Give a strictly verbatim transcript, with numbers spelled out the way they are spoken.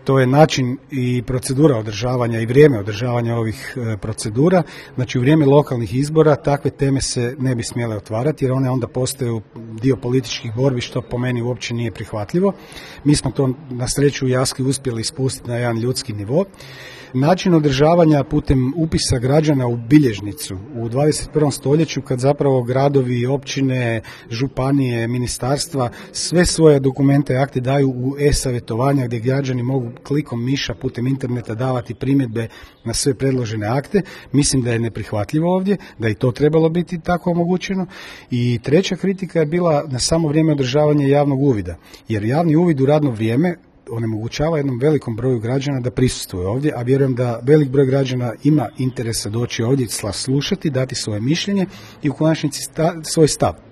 to je način i procedura održavanja i vrijeme održavanja ovih procedura. Znači u vrijeme lokalnih izbora takve teme se ne bi smjele otvarati jer one onda postaju dio političkih borbi što po meni uopće nije prihvatljivo. Mi smo to na sreću u Jaski uspjeli spustiti na jedan ljudski nivo. Način održavanja putem upisa građana u bilježnicu u dvadeset prvom stoljeću kad zapravo gradovi, općine, županije, ministarstva sve svoje dokumente i akte daju u e-savjetovanja gdje građani mogu klikom miša putem interneta davati primjedbe na sve predložene akte. Mislim da je neprihvatljivo ovdje, da je i to trebalo biti tako omogućeno. I treća kritika je bila na samo vrijeme održavanja javnog uvida, jer javni uvid u radno vrijeme onemogućava jednom velikom broju građana da prisustvuje ovdje, a vjerujem da velik broj građana ima interesa doći ovdje, slušati, dati svoje mišljenje i u konačnici sta, svoj stav.